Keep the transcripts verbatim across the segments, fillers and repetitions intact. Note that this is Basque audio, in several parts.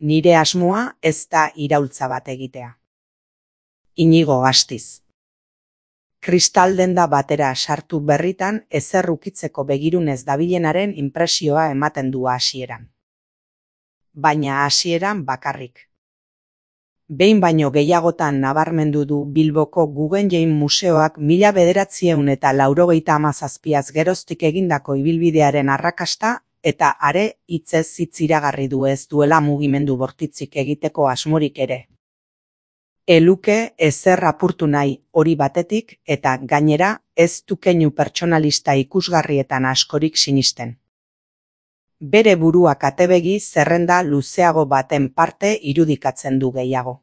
Nire asmoa ez da iraultza bat egitea. Inigo Astiz. Kristaldenda batera sartu berritan ezer ukitzeko begirunez dabilenaren inpresioa ematen du hasieran. Baina hasieran bakarrik. Behin baino gehiagotan nabarmendu du Bilboko Guggenheim Museoak mila bederatziehun eta laurogeita hamazazpiaz geroztik egindako ibilbidearen arrakasta eta are hitzez hitz iragarri du ez duela mugimendu bortitzik egiteko asmorik ere. Eluke ezer apurtu nahi hori batetik eta gainera ez du keinu pertsonalista ikusgarrietan askorik sinisten. Bere burua katebegi zerrenda luzeago baten parte irudikatzen du gehiago.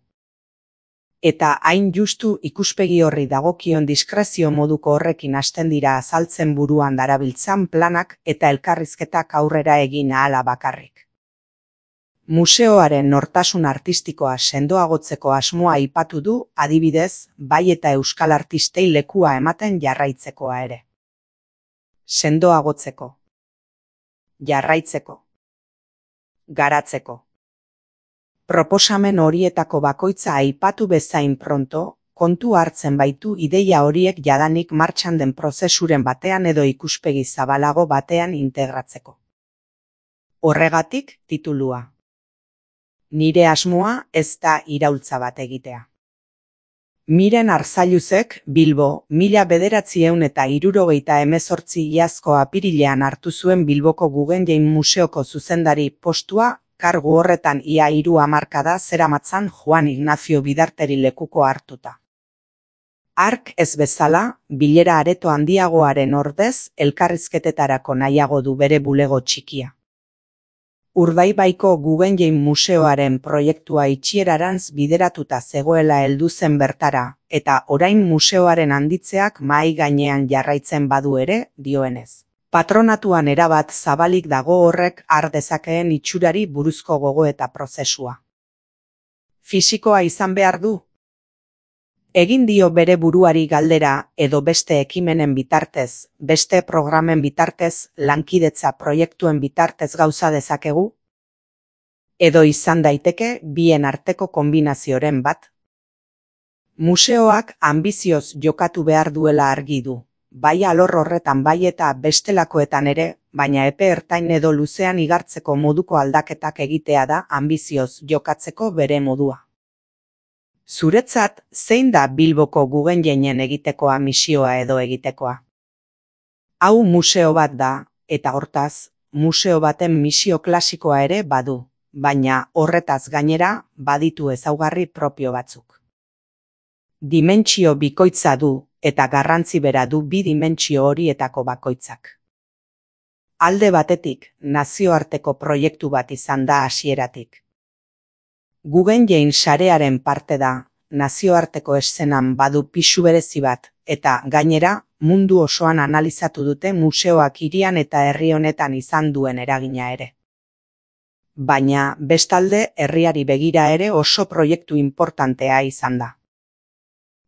Eta hain justu ikuspegi horri dagokion diskrezio moduko horrekin hasten dira azaltzen buruan darabiltzan planak eta elkarrizketak aurrera egin ahala bakarrik. Museoaren nortasun artistikoa sendoagotzeko asmoa aipatu du, adibidez, bai eta euskal artistei lekua ematen jarraitzekoa ere. Sendoagotzeko. Jarraitzeko. Garatzeko. Proposamen horietako bakoitza aipatu bezain pronto, kontu hartzen baitu ideia horiek jadanik martxan den prozesuren batean edo ikuspegi zabalago batean integratzeko. Horregatik titulua. Nire asmoa ez da iraultza bat egitea. Miren Arzailuzek Bilbo mila bederatziehun eta hirurogeita hemezortzi iazko apirilean hartu zuen Bilboko Guggenheim Museoko zuzendari postua, kargu horretan ia hiru hamarkada zeramatzan Juan Ignacio Bidarteri lekuko hartuta. Hark ez bezala, bilera areto handiagoaren ordez elkarrizketetarako nahiago du bere bulego txikia. Urdaibaiko Guggenheim Museoaren proiektua itxierarantz bideratuta zegoela heldu zen bertara, eta orain museoaren handitzeak mahai gainean jarraitzen badu ere, dioenez. Patronatuan erabat zabalik dago horrek har dezakeen itxurari buruzko gogoeta prozesua. Fisikoa izan behar du? Egin dio bere buruari galdera edo beste ekimenen bitartez, beste programen bitartez, lankidetza proiektuen bitartez gauza dezakegu? Edo izan daiteke bien arteko kombinazioren bat? Museoak anbizioz jokatu behar duela argi du, bai alor horretan bai eta bestelakoetan ere, baina epe ertain edo luzean igartzeko moduko aldaketak egitea da anbizioz jokatzeko bere modua. Zuretzat, zein da Bilboko Guggenheinen egitekoa misioa edo egitekoa? Hau museo bat da, eta hortaz, museo baten misio klasikoa ere badu, baina horretaz gainera baditu ezaugarri propio batzuk. Dimentsio bikoitza du, eta garrantzi bera du bi dimentsio horietako bakoitzak. Alde batetik, nazioarteko proiektu bat izan da hasieratik. Guggenheim sarearen parte da, nazioarteko eszenan badu pisu berezi bat, eta gainera, mundu osoan analizatu dute museoak hirian eta herri honetan izan duen eragina ere. Baina, bestalde, herriari begira ere oso proiektu inportantea izan da.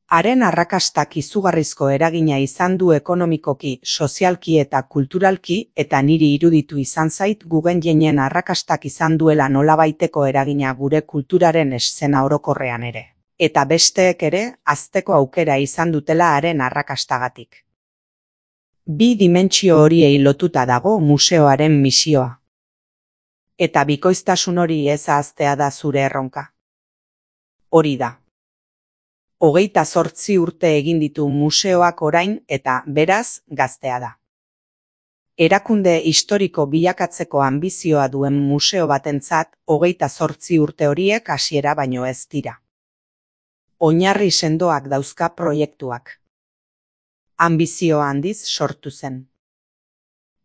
Haren arrakastak izugarrizko eragina izan du ekonomikoki, sozialki eta kulturalki, eta niri iruditu izan zait Guggenheinen arrakastak izan duela nolabaiteko eragina gure kulturaren eszena orokorrean ere. Eta besteek ere, hazteko aukera izan dutela haren arrakastagatik. Bi dimentsio horiei lotuta dago museoaren misioa. Eta bikoiztasun hori ez ahaztea da zure erronka. Hori da. Hogeita zortzi urte egin ditu museoak orain eta beraz gaztea da. Erakunde historiko bilakatzeko anbizioa duen museo batentzat hogeita zortzi urte horiek hasiera baino ez dira. Oinarri sendoak dauzka proiektuak. Anbizio handiz sortu zen.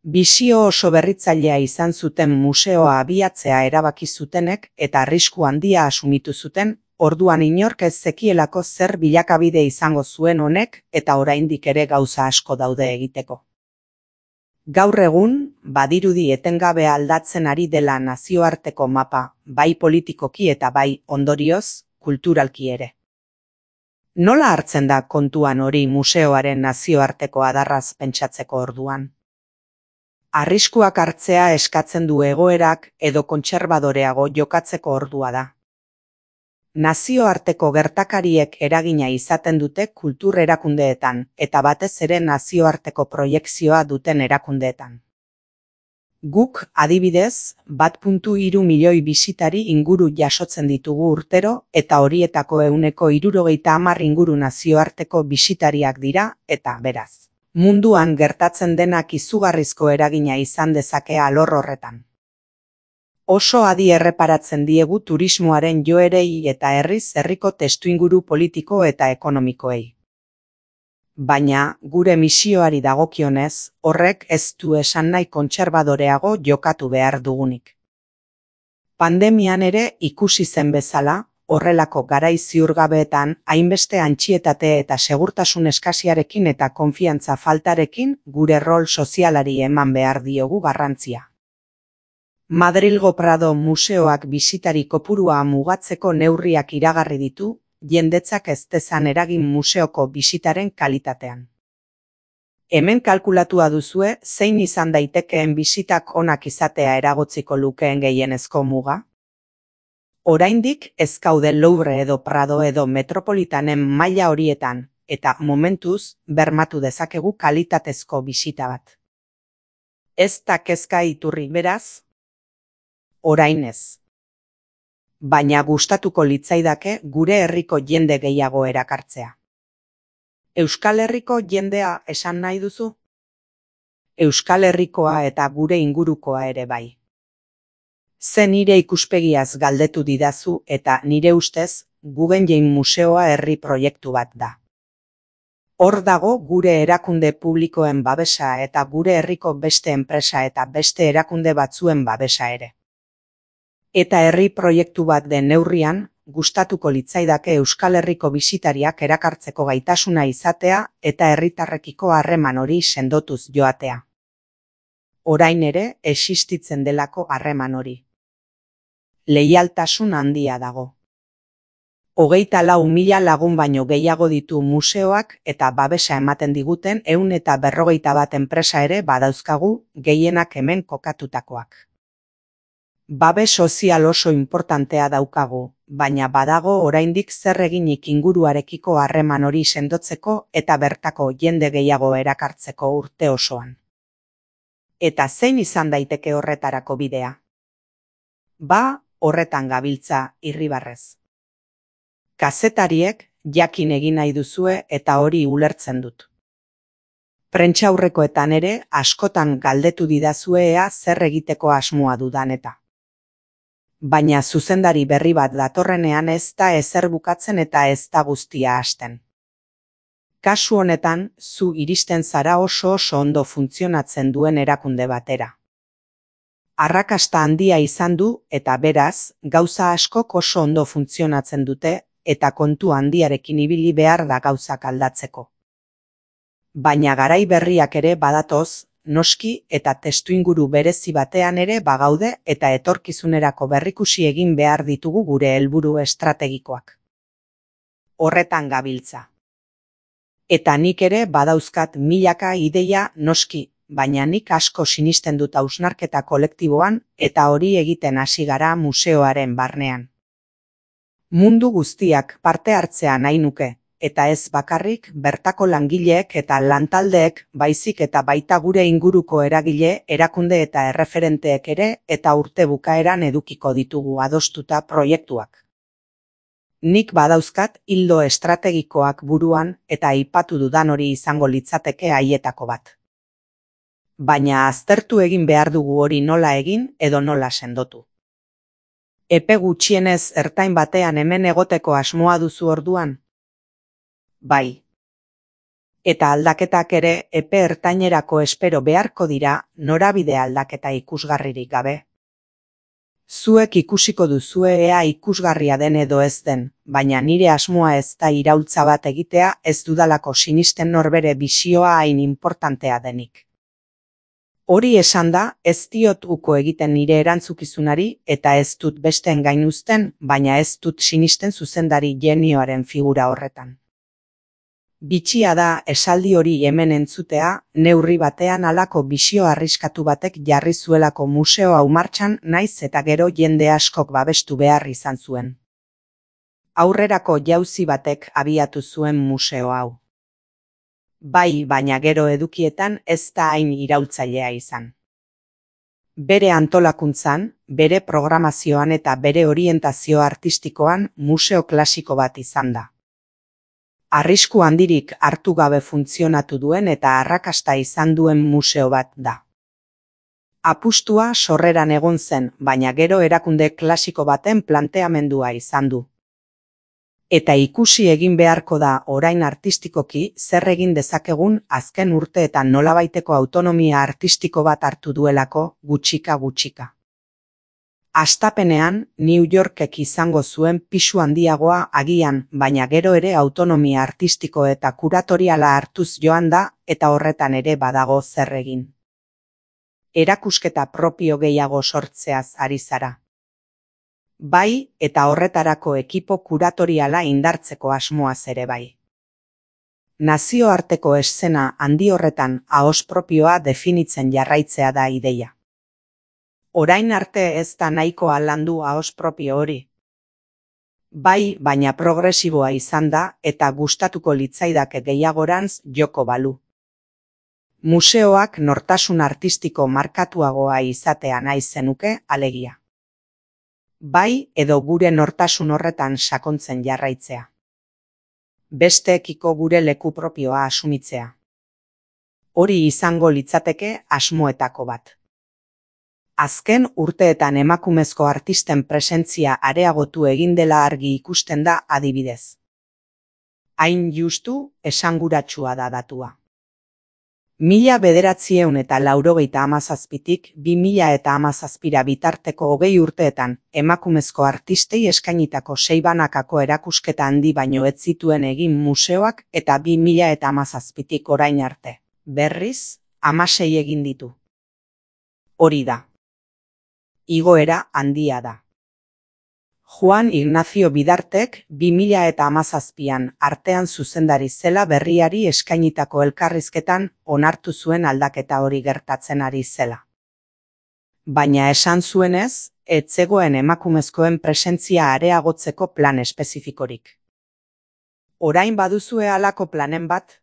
Bisio oso berritzailea izan zuten museoa abiatzea erabaki zutenek eta arrisku handia asumitu zuten, orduan inork ez zekielako zer bilakabide izango zuen honek eta oraindik ere gauza asko daude egiteko. Gaur egun, badirudi etengabe aldatzen ari dela nazioarteko mapa, bai politikoki eta bai ondorioz, kulturalki ere. Nola hartzen da kontuan hori museoaren nazioarteko adarraz pentsatzeko orduan? Arriskuak hartzea eskatzen du egoerak edo kontserbadoreago jokatzeko ordua da. Nazioarteko gertakariek eragina izaten dute kultur erakundeetan eta batez ere nazioarteko proiekzioa duten erakundeetan. Guk, adibidez, bat koma hiru milioi bisitari inguru jasotzen ditugu urtero eta horietako ehuneko hirurogeita hamar inguru nazioarteko bisitariak dira eta beraz. Munduan gertatzen denak izugarrizko eragina izan dezake alor horretan. Oso adi erreparatzen diegu turismoaren joerei eta herriz herriko testuinguru politiko eta ekonomikoei. Baina, gure misioari dagokionez, horrek ez du esan nahi kontserbadoreago jokatu behar dugunik. Pandemian ere ikusi zen bezala, horrelako garai ziurgabeetan hainbeste antxietate eta segurtasun eskasiarekin eta konfiantza faltarekin gure rol sozialari eman behar diogu garrantzia. Madrilgo Prado museoak bisitari kopurua mugatzeko neurriak iragarri ditu, jendetzak ez dezan eragin museoko bisitaren kalitatean. Hemen kalkulatua duzue zein izan daitekeen bisitak onak izatea eragotziko lukeen gehienezko muga? Oraindik ez gaude Louvre edo Prado edo Metropolitanen maila horietan, eta momentuz bermatu dezakegu kalitatezko bisita bat. Ez da kezka iturri beraz? Orain ez. Baina gustatuko litzaidake gure herriko jende gehiago erakartzea. Euskal Herriko jendea esan nahi duzu? Euskal Herrikoa eta gure ingurukoa ere bai. Ze nire ikuspegiaz galdetu didazu eta nire ustez Guggenheim Museoa herri proiektu bat da. Hor dago gure erakunde publikoen babesa eta gure herriko beste enpresa eta beste erakunde batzuen babesa ere. Eta herri proiektu bat den neurrian, gustatuko litzaidake Euskal Herriko bisitariak erakartzeko gaitasuna izatea eta herritarrekiko harreman hori sendotuz joatea. Orain ere existitzen delako harreman hori. Leialtasun handia dago. Hogeita lau mila lagun baino gehiago ditu museoak eta babesa ematen diguten ehun eta berrogeita bat enpresa ere badauzkagu, gehienak hemen kokatutakoak. Babes sozial oso inportantea daukagu, baina badago oraindik zer eginik inguruarekiko harreman hori sendotzeko eta bertako jende gehiago erakartzeko urte osoan. Eta zein izan daiteke horretarako bidea? Ba, horretan gabiltza, irribarrez. Kazetariek jakin egin nahi duzue eta hori ulertzen dut. Prentsaurrekoetan ere askotan galdetu didazue ea zer egiteko asmoa dudan eta. Baina zuzendari berri bat datorrenean ez da ezer bukatzen eta ez da guztia hasten. Kasu honetan, zu iristen zara oso oso ondo funtzionatzen duen erakunde batera. Arrakasta handia izan du eta beraz, gauza askok oso ondo funtzionatzen dute eta kontu handiarekin ibili behar da gauzak aldatzeko. Baina garai berriak ere badatoz, noski eta testuinguru berezi batean ere bagaude eta etorkizunerako berrikusi egin behar ditugu gure helburu estrategikoak. Horretan gabiltza. Eta nik ere badauzkat milaka ideia noski, baina nik asko sinisten dut hausnarketa kolektiboan eta hori egiten hasi gara museoaren barnean. Mundu guztiak parte hartzea nahi nuke, eta ez bakarrik bertako langileek eta lantaldeek baizik eta baita gure inguruko eragile, erakunde eta erreferenteek ere eta urte bukaeran edukiko ditugu adostuta proiektuak. Nik badauzkat ildo estrategikoak buruan eta aipatu dudan hori izango litzateke haietako bat. Baina aztertu egin behar dugu hori nola egin edo nola sendotu. Epe gutxienez ertain batean hemen egoteko asmoa duzu orduan? Bai. Eta aldaketak ere epe ertainerako espero beharko dira norabide aldaketa ikusgarririk gabe. Zuek ikusiko duzue ea ikusgarria den edo ez den, baina nire asmoa ez da iraultza bat egitea ez dudalako sinisten norbere bisioa hain importantea denik. Hori esan da, ez diot uko egiten nire erantzukizunari eta ez dut besteen gainuzten, baina ez dut sinisten zuzendari genioaren figura horretan. Bitxia da esaldi hori hemen entzutea, neurri batean halako bisio arriskatu batek jarri zuelako museo hau martxan, naiz eta gero jende askok babestu behar izan zuen. Aurrerako jauzi batek abiatu zuen museo hau. Bai, baina gero edukietan ez da hain iraultzailea izan. Bere antolakuntzan, bere programazioan eta bere orientazio artistikoan museo klasiko bat izan da. Arrisku handirik hartu gabe funtzionatu duen eta arrakasta izan duen museo bat da. Apustua sorreran egon zen, baina gero erakunde klasiko baten planteamendua izan du. Eta ikusi egin beharko da orain artistikoki zer egin dezakegun azken urteetan nolabaiteko autonomia artistiko bat hartu duelako gutxika-gutxika. Hastapenean, New Yorkek izango zuen pisu handiagoa agian, baina gero ere autonomia artistiko eta kuratoriala hartuz joan da, eta horretan ere badago zer egin. Erakusketa propio gehiago sortzeaz ari zara. Bai, eta horretarako ekipo kuratoriala indartzeko asmoaz ere bai. Nazioarteko eszena handi horretan ahos propioa definitzen jarraitzea da ideia. Orain arte ez da nahikoa landu ahos propio hori. Bai, baina progresiboa izan da eta gustatuko litzaidake gehiagorantz joko balu. Museoak nortasun artistiko markatuagoa izatea nahi zenuke alegia. Bai, edo gure nortasun horretan sakontzen jarraitzea. Besteekiko gure leku propioa asumitzea. Hori izango litzateke asmoetako bat. Azken urteetan emakumezko artisten presentzia areagotu egin dela argi ikusten da adibidez. Hain justu esanguratsua da datua. Mila bederatzieun eta laurogeita hamazazpitik bi mila eta hamazazpira bitarteko hogei urteetan emakumezko artistei eskainitako sei banakako erakusketa handi baino ez zituen egin museoak eta bi mila eta hamazazpitik orain arte. Berriz, hamasei egin ditu. Hori da. Igoera handia da. Juan Ignacio Bidartek bi mila eta hamazazpian artean zuzendari zela berriari eskainitako elkarrizketan onartu zuen aldaketa hori gertatzen ari zela. Baina esan zuenez, ez zegoen emakumezkoen presentzia areagotzeko plan espezifikorik. Orain baduzue halako planen bat?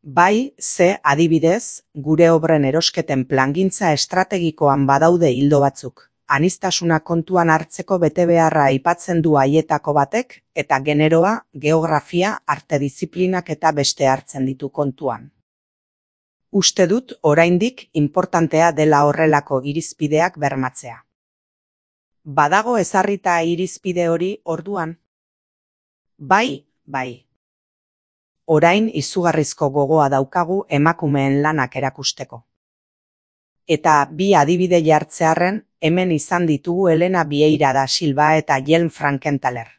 Bai, ze adibidez, gure obren erosketen plangintza estrategikoan badaude ildo batzuk. Aniztasuna kontuan hartzeko betebeharra aipatzen du haietako batek, eta generoa, geografia, arte diziplinak eta beste hartzen ditu kontuan. Uste dut oraindik inportantea dela horrelako irizpideak bermatzea. Badago ezarrita irizpide hori orduan? Bai, bai. Orain izugarrizko gogoa daukagu emakumeen lanak erakusteko. Eta bi adibide jartzearren, hemen izan ditugu Elena Vieira da Silva eta Jelm Frankenthaler.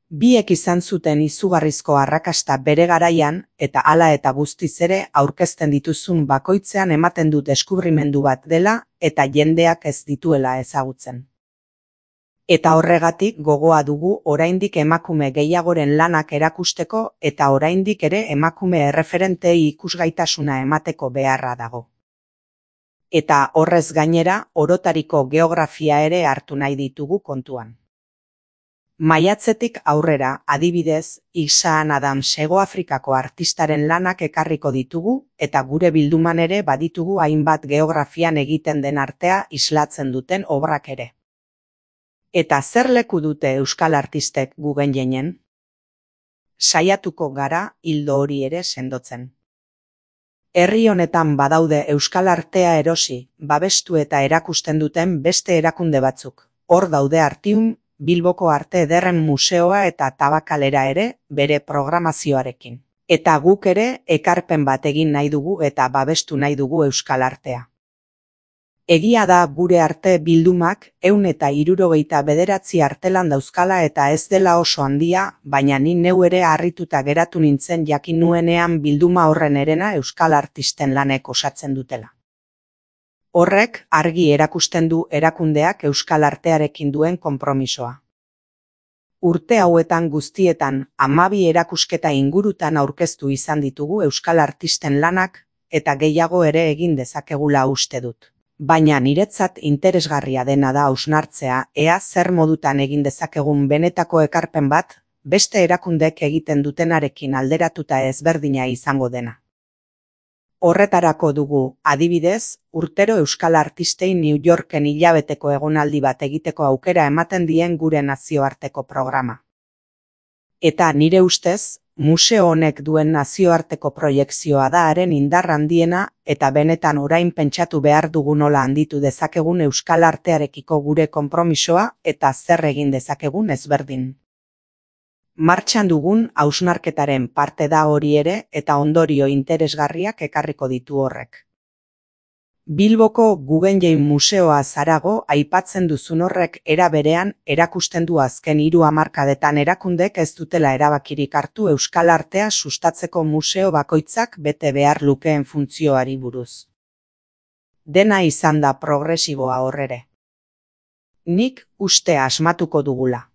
Biek izan zuten izugarrizko arrakasta bere garaian, eta hala eta guztiz ere aurkezten dituzun bakoitzean ematen du deskubrimendu bat dela, eta jendeak ez dituela ezagutzen. Eta horregatik gogoa dugu oraindik emakume gehiagoren lanak erakusteko eta oraindik ere emakume erreferentei ikusgaitasuna emateko beharra dago. Eta horrez gainera, orotariko geografia ere hartu nahi ditugu kontuan. Maiatzetik aurrera, adibidez, Isaan Adams Hegoafrikako artistaren lanak ekarriko ditugu eta gure bilduman ere baditugu hainbat geografian egiten den artea islatzen duten obrak ere. Eta zer leku dute euskal artistek gugen jenen? Saiatuko gara hildo hori ere sendotzen. Herri honetan badaude euskal artea erosi, babestu eta erakusten duten beste erakunde batzuk. Hor daude Artium, Bilboko Arte Ederren Museoa eta Tabakalera ere bere programazioarekin. Eta guk ere ekarpen bat egin nahi dugu eta babestu nahi dugu euskal artea. Egia da gure arte bildumak ehun eta hirurogeita bederatzi artelan dauzkala eta ez dela oso handia, baina ni neu ere harrituta geratu nintzen jakin nuenean bilduma horren herena euskal artisten lanek osatzen dutela. Horrek argi erakusten du erakundeak euskal artearekin duen konpromisoa. Urte hauetan guztietan hamabi erakusketa ingurutan aurkeztu izan ditugu euskal artisten lanak eta gehiago ere egin dezakegula uste dut. Baina niretzat interesgarria dena da hausnartzea ea zer modutan egin dezakegun benetako ekarpen bat beste erakundek egiten dutenarekin alderatuta ezberdina izango dena. Horretarako dugu, adibidez, urtero euskal artistei New Yorken hilabeteko egonaldi bat egiteko aukera ematen dien gure nazioarteko programa. Eta nire ustez, museo honek duen nazioarteko proiekzioa da haren indar handiena eta benetan orain pentsatu behar dugu nola handitu dezakegun euskal artearekiko gure konpromisoa eta zer egin dezakegun ezberdin. Martxan dugun hausnarketaren parte da hori ere eta ondorio interesgarriak ekarriko ditu horrek. Bilboko Guggenheim Museoa zarago aipatzen duzun horrek era berean erakusten du azken hiru hamarkadetan erakundek ez dutela erabakirik hartu euskal artea sustatzeko museo bakoitzak bete behar lukeen funtzioari buruz. Dena izan da progresiboa horrere. Nik uste asmatuko dugula.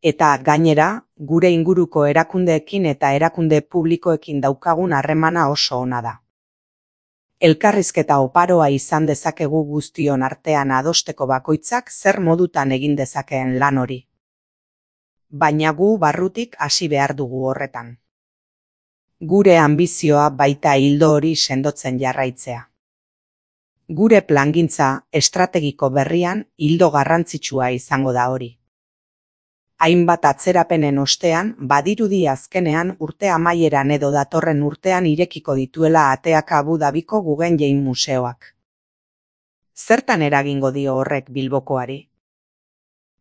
Eta gainera, gure inguruko erakundeekin eta erakunde publikoekin daukagun harremana oso ona da. Elkarrizketa oparoa izan dezakegu guztion artean adosteko bakoitzak zer modutan egin dezakeen lan hori. Baina gu barrutik hasi behar dugu horretan. Gure anbizioa baita ildo hori sendotzen jarraitzea. Gure plangintza estrategiko berrian ildo garrantzitsua izango da hori. Hainbat atzerapenen ostean, badirudi azkenean urte amaieran edo datorren urtean irekiko dituela ateak Abu Dhabiko Guggenheim Museoak. Zertan eragingo dio horrek Bilbokoari?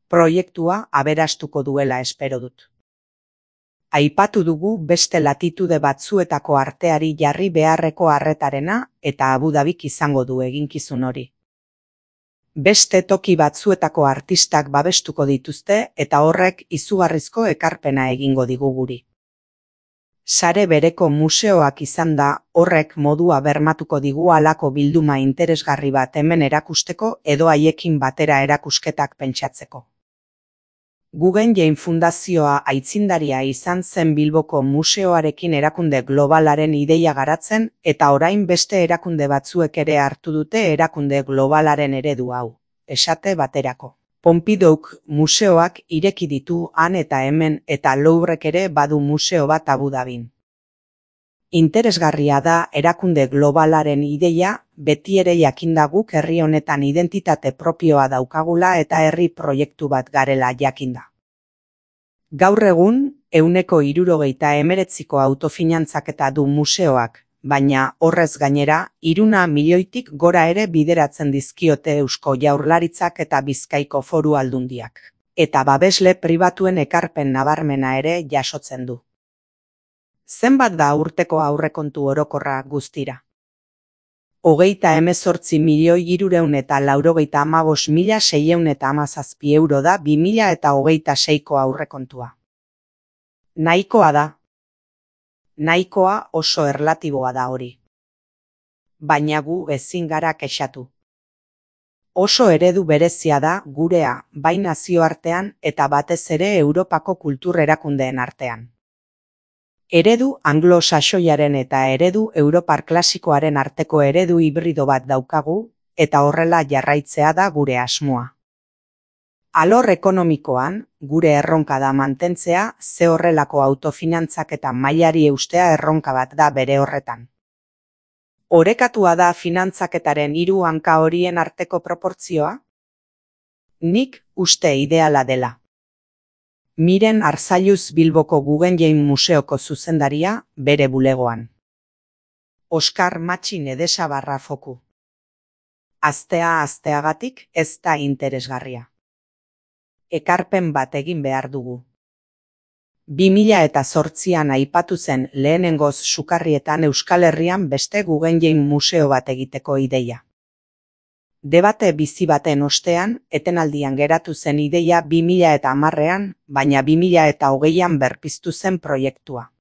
Proiektua aberastuko duela espero dut. Aipatu dugu beste latitude batzuetako arteari jarri beharreko arretarena eta Abu Dhabik izango du eginkizun hori. Beste toki batzuetako artistak babestuko dituzte eta horrek izugarrizko ekarpena egingo digu guri. Sare bereko museoak izan da horrek modua bermatuko digu halako bilduma interesgarri bat hemen erakusteko edo haiekin batera erakusketak pentsatzeko. Guggenheim Fundazioa aitzindaria izan zen Bilboko museoarekin erakunde globalaren ideia garatzen eta orain beste erakunde batzuek ere hartu dute erakunde globalaren eredu hau, esate baterako. Pompidouk museoak ireki ditu han eta hemen eta Louvrek ere badu museo bat Abu Dhabin. Interesgarria da erakunde globalaren ideia beti ere jakinda guk herri honetan identitate propioa daukagula eta herri proiektu bat garela jakinda. Gaur egun, ehuneko hirurogeita hemeretziko autofinantzaketa du museoak, baina horrez gainera, hiruna milioitik gora ere bideratzen dizkiote Eusko Jaurlaritzak eta Bizkaiko Foru Aldundiak. Eta babesle pribatuen ekarpen nabarmena ere jasotzen du. Zenbat da urteko aurrekontu orokorra guztira? Hogeita hemezortzi milioi hirurehun eta laurogeita hamabost mila seiehun eta hamazazpi euro da bi mila eta hogeita seiko aurrekontua. Nahikoa da. Nahikoa oso erlatiboa da hori. Baina gu ezin gara kexatu. Oso eredu berezia da gurea, bai nazioartean eta batez ere Europako kultur erakundeen artean. Eredu anglo-saxoiaren eta eredu europar klasikoaren arteko eredu hibrido bat daukagu, eta horrela jarraitzea da gure asmoa. Alor ekonomikoan, gure erronka da mantentzea ze horrelako autofinantzaketa mailari eustea erronka bat da bere horretan. Orekatua da finantzaketaren hiru hanka horien arteko proportzioa? Nik uste ideala dela. Miren Arzailuz Bilboko Guggenheim Museoko zuzendaria bere bulegoan. Oskar Matxin Edesa barra foku. Aztea azteagatik ez da interesgarria. Ekarpen bat egin behar dugu. bi mila eta zortzian aipatu zen lehenengoz sukarrietan Euskal Herrian beste Guggenheim museo bat egiteko ideia. Debate bizi baten ostean, etenaldian geratu zen ideia bi mila eta hamarrean, baina bi mila eta hogeian berpiztu zen proiektua.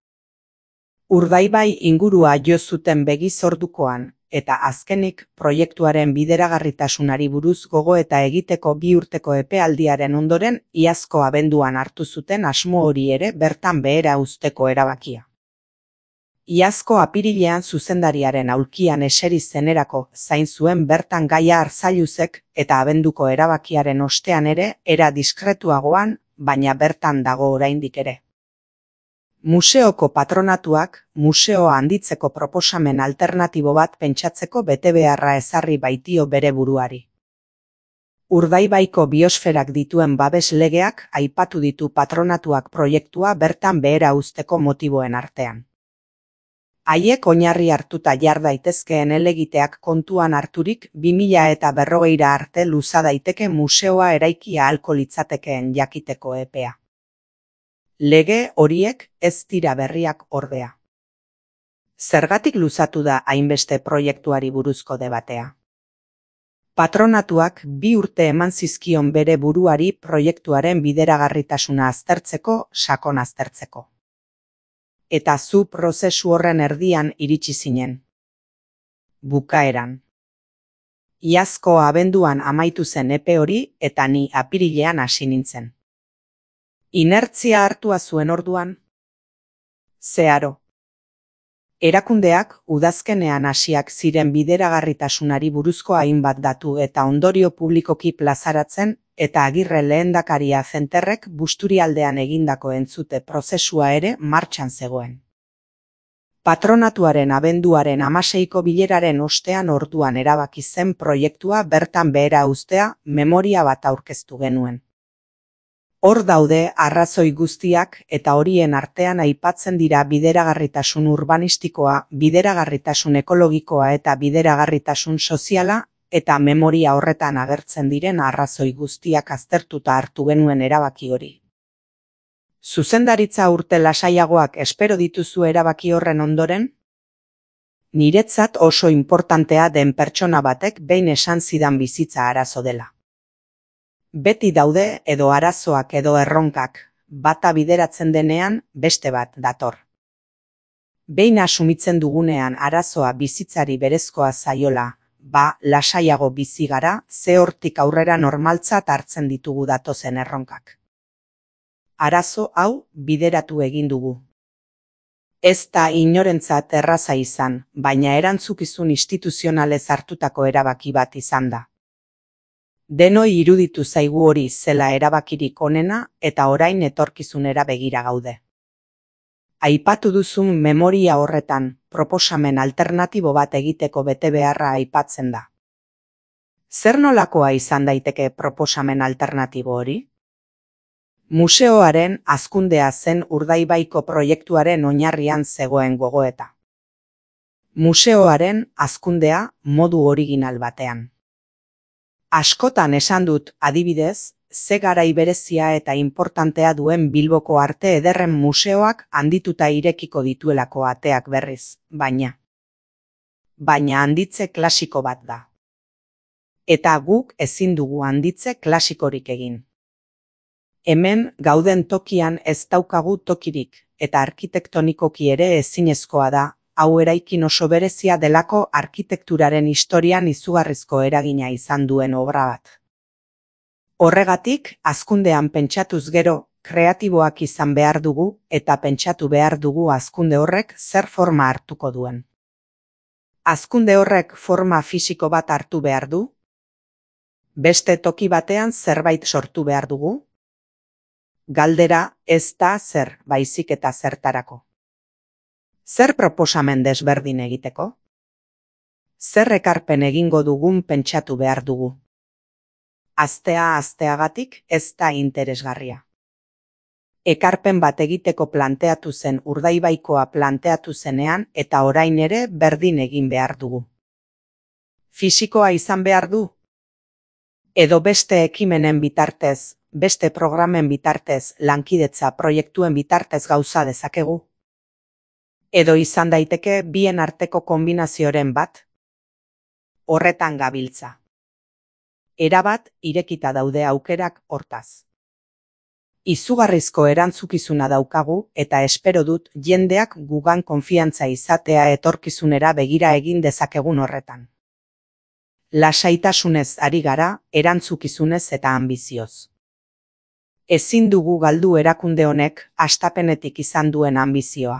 Urdaibai ingurua jo zuten begiz ordukoan, eta azkenik proiektuaren bideragarritasunari buruz gogoeta egiteko bi urteko epealdiaren ondoren iazko abenduan hartu zuten asmo hori ere bertan behera uzteko erabakia. Iazko apirilean zuzendariaren aulkian eseri zenerako zain zuen bertan Gaia Arzalluzek eta abenduko erabakiaren ostean ere era diskretuagoan, baina bertan dago oraindik ere. Museoko patronatuak museoa handitzeko proposamen alternatibo bat pentsatzeko betebeharra ezarri baitio bere buruari. Urdaibaiko biosferak dituen babes legeak aipatu ditu patronatuak proiektua bertan behera uzteko motiboen artean. Haiek oinarri hartuta jar daitezkeen helegiteak kontuan harturik bi mila eta berrogeira arte luza daiteke museoa eraiki ahalko litzatekeen jakiteko epea. Lege horiek ez dira berriak ordea. Zergatik luzatu da hainbeste proiektuari buruzko debatea? Patronatuak bi urte eman zizkion bere buruari proiektuaren bideragarritasuna aztertzeko, sakon aztertzeko. Eta zu prozesu horren erdian iritsi zinen. Bukaeran. Iazko abenduan amaitu zen epe hori eta ni apirilean hasi nintzen. Inertzia hartua zuen orduan? Zeharo. Erakundeak udazkenean hasiak ziren bideragarritasunari buruzko hainbat datu eta ondorio publikoki plazaratzen eta Agirre lehendakaria zenterrek Busturialdean egindako entzute prozesua ere martxan zegoen. Patronatuaren abenduaren hamaseiko bileraren ostean orduan erabaki zen proiektua bertan behera uztea memoria bat aurkeztu genuen. Hor daude arrazoi guztiak eta horien artean aipatzen dira bideragarritasun urbanistikoa, bideragarritasun ekologikoa eta bideragarritasun soziala eta memoria horretan agertzen diren arrazoi guztiak aztertuta hartu genuen erabaki hori. Zuzendaritza urte lasaiagoak espero dituzu erabaki horren ondoren? Niretzat oso inportantea den pertsona batek behin esan zidan bizitza arazo dela. Beti daude edo arazoak edo erronkak, bata bideratzen denean beste bat dator. Behin asumitzen dugunean arazoa bizitzari berezkoa zaiola, ba lasaiago bizi gara, ze hortik aurrera normaltzat hartzen ditugu datozen erronkak. Arazo hau bideratu egin dugu. Ez da inorentzat erraza izan, baina erantzukizun instituzionalez hartutako erabaki bat izan da. Denoi iruditu zaigu hori zela erabakirik onena eta orain etorkizunera begira gaude. Aipatu duzun memoria horretan proposamen alternatibo bat egiteko betebeharra aipatzen da. Zer nolakoa izan daiteke proposamen alternatibo hori? Museoaren hazkundea zen Urdaibaiko proiektuaren oinarrian zegoen gogoeta. Museoaren hazkundea modu original batean. Askotan esan dut, adibidez, ze garai berezia eta inportantea duen Bilboko Arte Ederren museoak handituta irekiko dituelako ateak berriz, baina. Baina handitze klasiko bat da. Eta guk ezin dugu handitze klasikorik egin. Hemen gauden tokian ez daukagu tokirik, eta arkitektonikoki ere ezinezkoa da, hau eraikin oso berezia delako arkitekturaren historian izugarrizko eragina izan duen obra bat. Horregatik, hazkundean pentsatuz gero, kreatiboak izan behar dugu eta pentsatu behar dugu hazkunde horrek zer forma hartuko duen. Hazkunde horrek forma fisiko bat hartu behar du? Beste toki batean zerbait sortu behar dugu? Galdera ez da zer, baizik eta zertarako. Zer proposamen desberdin egiteko? Zer ekarpen egingo dugun pentsatu behar dugu? Astea asteagatik ez da interesgarria. Ekarpen bat egiteko planteatu zen Urdaibaikoa planteatu zenean eta orain ere berdin egin behar dugu. Fisikoa izan behar du? Edo beste ekimenen bitartez, beste programen bitartez, lankidetza proiektuen bitartez gauza dezakegu? Edo izan daiteke bien arteko kombinazioren bat? Horretan gabiltza. Erabat irekita daude aukerak hortaz. Izugarrizko erantzukizuna daukagu eta espero dut jendeak gugan konfiantza izatea etorkizunera begira egin dezakegun horretan. Lasaitasunez ari gara, erantzukizunez eta anbizioz. Ezin dugu galdu erakunde honek hastapenetik izan duen anbizioa.